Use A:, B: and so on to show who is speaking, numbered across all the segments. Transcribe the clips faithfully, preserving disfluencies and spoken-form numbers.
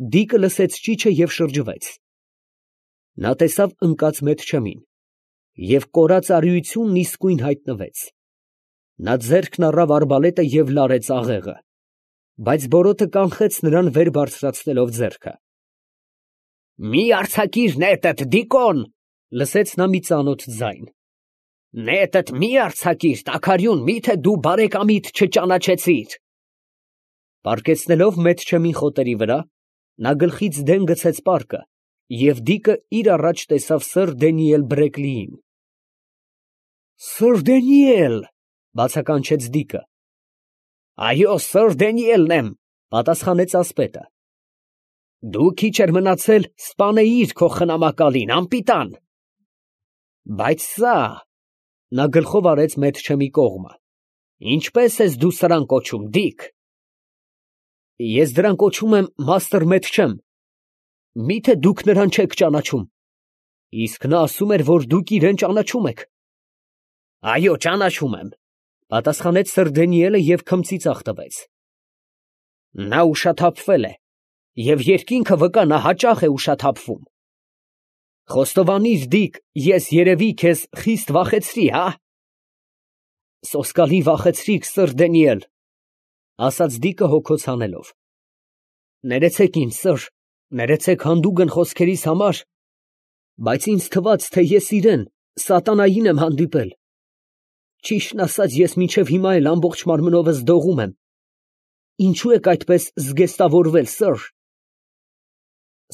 A: Դիկը լսեց ճիչը և շրջվեց. նա տեսավ ընկած Մեթչեմին, և կորած արիությունն իսկույն հայտնվեց. նա ձեռքն առավ արբալետը և լարեց աղեղը, բայց բորոտը կանխեց նրան վեր բարձրացնելով ձեռքը։ «Մի արձակիր նետդ, Դիկոն, ֊ լսեց նա մի ծանոթ ձայն, ֊ նետդ մի արձակիր, տաքարյուն, մի՞թե դու բարեկամիդ չճանաչեցիր»։ Պառկեցնելով Մեթչեմին խոտերի վրա, նա գլխից դեն գցեց պարկը, և Դիկը իր առաջ տեսավ սըր Դանիել Բրեկլիին։ «Սըր Դանիել, ֊ բացականչեց Դիկը։ ֊ Այո, սըր Դանիելն եմ, ֊ պատասխանեց ասպետը։ ֊ Դու քիչ էր մնացել սպանեիր քո խնամակալին, անպիտան։ ֊ Բայց սա, ֊ նա գլխով արեց Մեթչեմի կողմը, ֊ ինչպե՞ս ես դու սրան կոչում, Դիկ։ ֊ Ես դրան կոչում եմ մաստր Մեթչեմ, մի՞թե դուք նրան չեք ճանաչում։ ֊ Իսկ նա ասում էր, որ դուք իրան ճանաչում եք։ ֊ Այո, ճանաչում եմ, ֊ պատասխանեց սըր Դանիելը և քմծիծաղ տվեց։ ֊ Նա ուշաթափվել է, և երկինքը վկա, նա հաճախ է ուշաթափվում։ Խոստովանիր, Դիկ, ես երևի քեզ խիստ վախեցրի, հա՞։ ֊ Սոսկալի վախեցրիք, սըր Դանիել, ֊ ասաց Դիկը հոգոց հանելով։ ֊ Ներեցեք ինձ, սըր, ներեցեք հանդուգն խոսքերիս համար, բայց ինձ թվաց, թե ես իրան, սատանային եմ հանդիպել։ Ճիշտն ասած, ես մինչև հիմա էլ ամբողջ մարմնովս դողում եմ։ Ինչո՞ւ եք այդպես զգեստավորվել, սըր։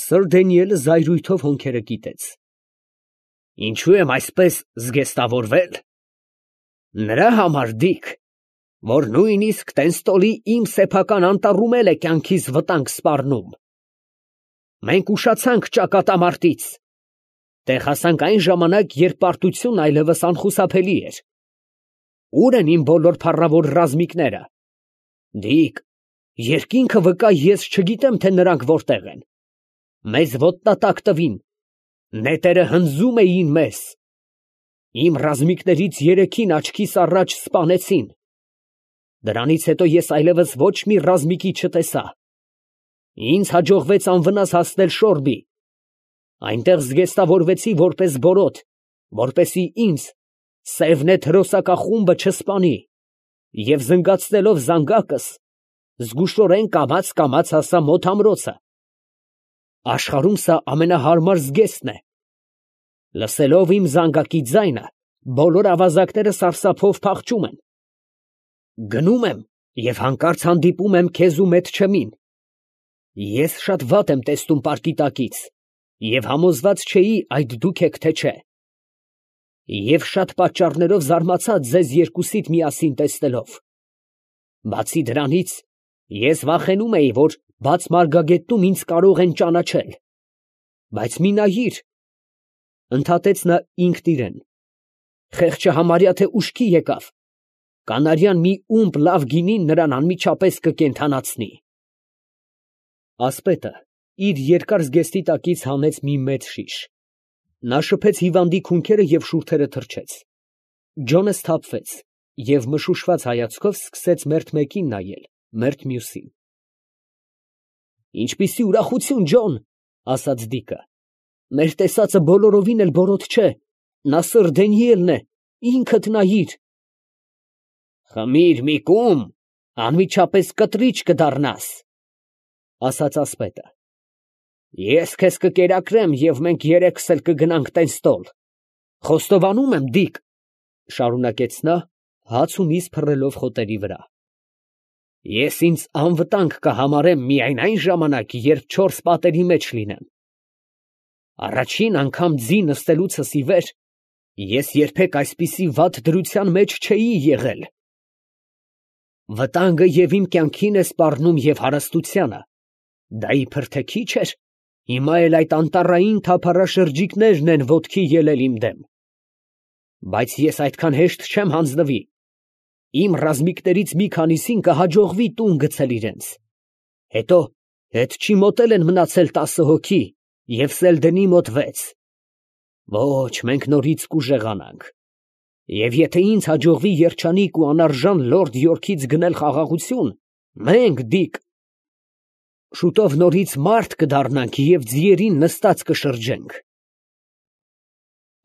A: Սըր Դանիելը զայրույթով հոնքերը կիտեց։ ֊ Ինչո՞ւ եմ այսպես զգեստավորվել։ Նրա համար, Դիկ, որ նույնիսկ Տենստոլի իմ սեփական անտառում էլ է կյանքիս վտանգ սպառնում։ Մենք ուշացանք ճակատամարտից, տեղ հասանք այն ժամանակ, երբ պարտությունն այլևս անխուսափելի էր։ Ո՞ւր են իմ բոլոր փառավոր ռազմիկները։ Դիկ, երկինքը վկա, ես չգիտեմ, թե նրանք որտեղ են։ Մեզ ոտնատակ տվին, նետերը հնձում էին մեզ։ Իմ ռազմիկներից երեքին աչքիս առաջ սպանեցին։ Դրանից հետո ես այլևս ոչ մի ռազմիկի չտեսա։ Ինձ հաջողվեց անվնաս հասնել Շորբի։ Այնտեղ զգեստավորվեցի որպես բորոտ, որպեսզի ինձ Սևնեթ հրոսակախումբը չսպանի, և զնգացնելով զանգակս, զգուշորեն կամաց֊կամաց հասա մոտ ամրոցը։ Աշխարհում սա ամենահարմար զգեստն է։ Լսելով իմ զանգակի ձայնը, բոլոր ավազակները սարսափով փախչում են։ Գնում եմ և հանկարծ հանդիպում եմ քեզ ու Մեթչեմին։ Ես շատ վատ եմ տեսնում պարկի տակից և համոզված չէի այդ դուք եք, թե չէ։ Եվ շատ պատճառներով զարմացա ձեզ երկուսիդ միասին տեսնելով։ Բացի դրանից, ես վախենում էի, որ բաց մարգագետնում ինձ կարող են ճանաչել։ Բայց մի նայիր, ֊ ընդհատեց նա ինքն իրան, ֊ խեղճը համարյա թե ուշքի եկավ, կանարյան մի ումպ լավ գինին նրան անմիջապես կկենդանացնի։ Ասպետը իր երկար զգեստի տակից հանեց մի մեծ շիշ։ Նա շփեց հիվանդի քունքերը և շուրթերը թրջեց։ Ջոնը սթափվեց և մշուշված հայացքով սկսեց մերթ մեկին նայել, մերթ մյուսին։ Ինչպիսի ուրախություն, Ջոն, ֊ ասաց Դիկը, ֊ մեր տեսածը բոլորովին էլ բորոտ չէ, նա սըր Դանիելն է, ինքդ նայիր։ Խմիր մի կում, անմիջապես կտրիճ կդառնաս, ֊ ասաց ասպետը։ Ես քեզ կկերակրեմ, և մենք երեքս էլ կգնանք Տենստոլ։ Խոստովանում եմ, Դիկ, ֊ շարունակեց նա, հաց ու միս փռելով խոտերի վրա, ես ինձ անվտանգ կհամարեմ միայն այն ժամանակ, երբ չորս պատերի մեջ լինեմ։ Առաջին անգամ ձի նստելուցս ի վեր ես երբեք այսպիսի վատ դրության մեջ չէի եղել։ Վտանգը և իմ կյանքին է սպառնում և հարստությանը, դա իբր թե քիչ էր, հիմա էլ այդ անտառային թափառաշրջիկներն են ոտքի ելել իմ դեմ։ Բայց ես այդքան հեշտ չեմ հանձնվի։ Իմ ռազմիկներից մի քանիսին կհաջողվի տուն գցել իրենց։ Հետո հետչի մոտ էլ են մնացել տասը հոգի և Սելդենի մոտ վեց։ Ոչ, մենք նորից կուժեղանանք։ Եվ եթե ինձ հաջողվի երջանիկ ու անարժան լորդ Յորքից գնել խաղաղություն, մենք, Դիկ, Շուտով նորից մարդ կդառնանք և ձիերին նստած կշրջենք։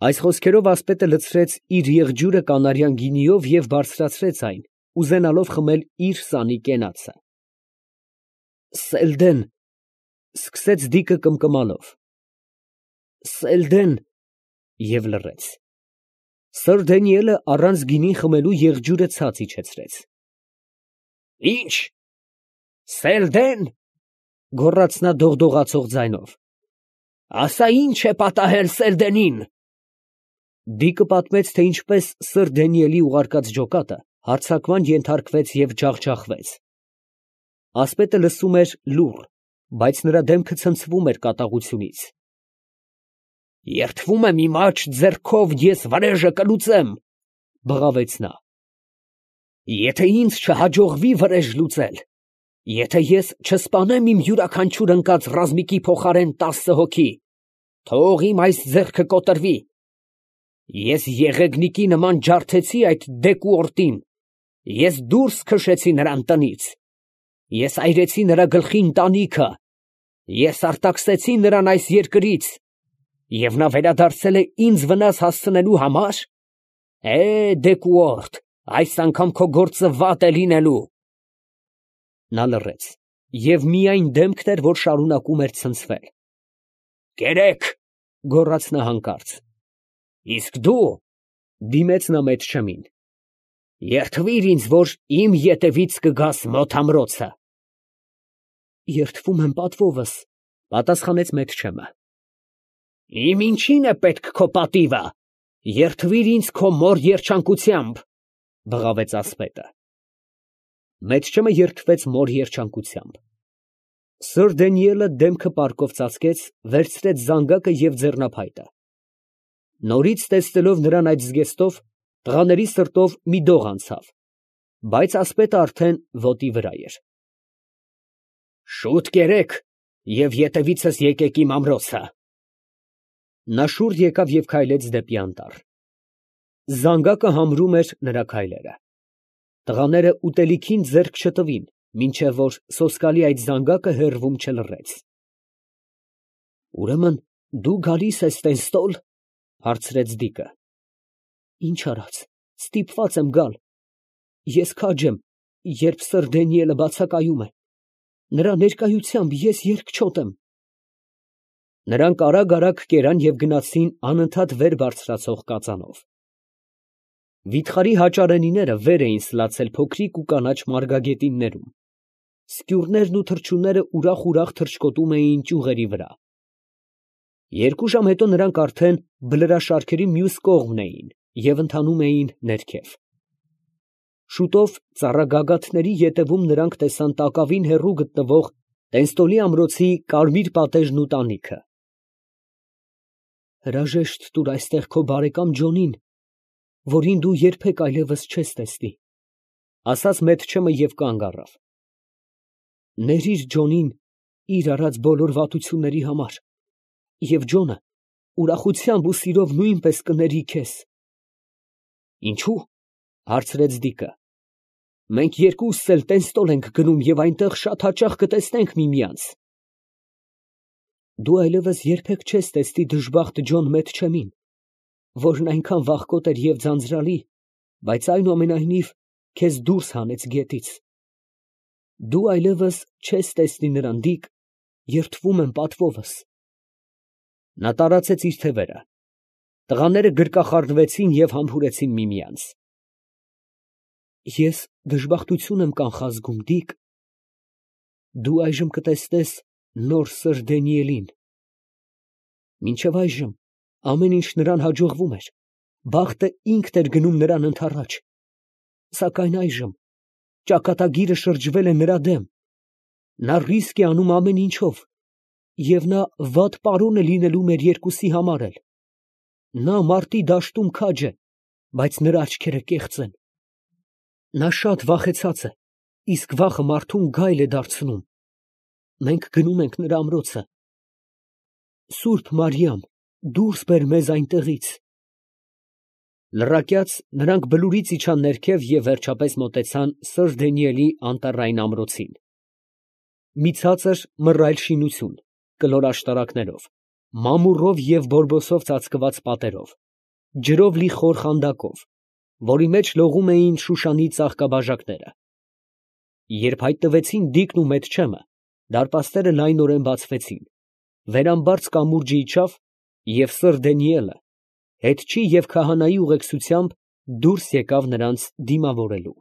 A: Այս խոսքերով ասպետը լցրեց իր եղջյուրը կանարյան գինիով և բարձրացրեց այն, ուզենալով խմել իր սանի կենացը։ Սելդեն, ֊ սկսեց դիկը կմկմալով, ֊ Սելդեն, և լռեց։ Սըր Դանիելը առանց գինին խմելու եղջյուրը ցած իջեցրեց։ Ի՞նչ, Սելդեն, ֊ գոռաց նա դողդողացող ձայնով, ասա, ի՞նչ է պատահել Սելդենին։ Դիկը պատմեց, թե ինչպես սըր Դանիելի ուղարկած ջոկատը հարձակման ենթարկվեց և ջախջախվեց։ Ասպետը լսում էր լուռ, բայց նրա դեմքը ցնցվում էր կատաղությունից։ Երդվում եմ իմ աջ ձեռքով ես վրեժը կլուծեմ, ֊ բղավեց նա։ Եթե ինձ չհաջողվի վրեժ լուծել, եթե ես չսպանեմ իմ յուրաքանչյուր ընկած ռազմիկի փոխարեն տասը հոգի, թող իմ այս ձեռքը կոտրվի։ Ես եղեգնիկի նման ջարդեցի այդ դեկուորտին, ես դուրս քշեցի նրան տնից, ես այրեցի նրա գլխի ընտանիքը, ես արտաքսեցի նրան այս երկրից, և նա վերադարձել է ինձ վնաս հասցնելու համար։ Է, դեկուորտ, այս անգամ քո գործը վատ է լինելու։ Նա լռեց, և միայն դեմքն էր, որ շարունակում էր ցնցվել։ Կերեք, ֊ գոռաց նա հանկարծ։ Իսկ դու, ֊ դիմեց նա Մեթչեմին, երդվիր ինձ, որ իմ ետևից կգաս մոտ ամրոցը։ Երդվում եմ պատվովս, ֊ պատասխանեց Մեթչեմը։ Իմ ինչի՞ն է պետք քո պատիվը, երդվիր ինձ քո մոր երջանկությամբ, ֊ բղավեց ասպետը։ Մեթչեմը երդվեց մոր երջանկությամբ։ Սըր Դանիելը դեմքը պարկով ծածկեց, վերցրեց զանգակը և ձեռնափայտը։ Նորից տեսնելով նրան այդ զգեստով, տղաների սրտով մի դող անցավ, բայց ասպետը արդեն ոտի վրա էր։ Շուտ կերեք և ետևիցս եկեք իմ ամրոցը։ Նա շուռ եկավ և քայլեց դեպի անտառ։ Զանգակը համրում էր նրա քայլերը։ Տղաները ուտելիքին ձեռք չտվին, մինչև որ սոսկալի այդ զանգակը հեռվում չլռեց։ Ուրեմն դու գալիս ես Տենստոլ, ֊ հարցրեց դիկը։ Ինչ արած, ստիպված եմ գալ։ Ես քաջ եմ, երբ սըր Դանիելը բացակայում է, նրա ներկայությամբ ես երկչոտ եմ։ Նրանք արագ֊արագ կերան և գնացին անընդհատ վեր բարձրացող կածանով։ Վիթխարի հաճարենիները վեր էին սլացել փոքրիկ ու կանաչ մարգագետիններում, սկյուրներն ու թռչունները ուրախ֊ուրախ թռչկոտում էին ճյուղերի վրա։ Երկու ժամ հետո նրանք արդեն բլրաշարքերի մյուս կողմն էին և ընթանում էին ներքև։ Շուտով ծառագագաթների ետևում նրանք տեսան տակավին հեռու գտնվող Տենստոլի ամրոցի կարմիր պատերն ու տանիքը։ Հրաժեշտ տուր այստեղ քո բարեկամ Ջոնին, որին դու երբեք այլևս չես տեսնի, ֊ ասաց Մեթչեմը և կանգ առավ։ Ներիր Ջոնին իր արած բոլոր վատությունների համար, և Ջոնը ուրախությամբ ու սիրով նույնպես կների քեզ։ Ինչո՞ւ, ֊ հարցրեց դիկը։ Մենք երկուսս էլ Տենստոլ ենք գնում և այնտեղ շատ հաճախ կտեսնենք միմյանց։ Դու այլևս երբեք չես տեսնի դժբախտ Ջոն Մեթչեմին, որն այնքան վախկոտ էր և ձանձրալի, բայց այնուամենայնիվ քեզ դուրս հանեց գետից։ Դու այլևս չես տեսնի նրան, դիկ, երդվում եմ պատվովս։ Նա տարածեց իր թևերը։ Տղաները գրկախառնվեցին և համբուրեցին միմյանց։ Ես դժբախտություն եմ կանխազգում, դիկ։ Դու այժմ կտեսնես նոր սըր Դանիելին։ Մինչև այժմ ամեն ինչ նրան հաջողվում էր, բախտը ինքն էր գնում նրան ընդառաջ, սակայն այժմ ճակատագիրը շրջվել է նրա դեմ, նա ռիսկ է անում ամեն ինչով, և նա վատ պարոն է լինելու մեր երկուսի համար էլ։ Նա մարտի դաշտում քաջ է, բայց նրա աչքերը կեղծ են։ Նա շատ վախեցած է, իսկ վախը մարդուն գայլ է դարձնում։ Մենք գնում ենք նրա ամրոցը։ Սուրբ Մարիամ, դուրս բեր մեզ այնտեղից։ Լռակյաց նրանք բլուրից իջան ներքև և վերջապես մոտեցան սըր Դանիելի անտառային ամրոցին։ մի ցածր մռայլ շինություն, կլոր աշտարակներով, մամուռով և բորբոսով ծածկված պատերով, ջրով լի խոր խանդակով, որի մեջ լողում էին Շուշանի ծաղկաբաժակները։ Երբ հայտնվեցին Դիկն ու Մեթչեմը, դարպասները լայնորեն բացվեցին, վերամբարձ կամուրջը իջավ, և սըր Դանիելը հետչի և քահանայի ուղեկցությամբ դուրս եկավ նրանց դիմավորելու։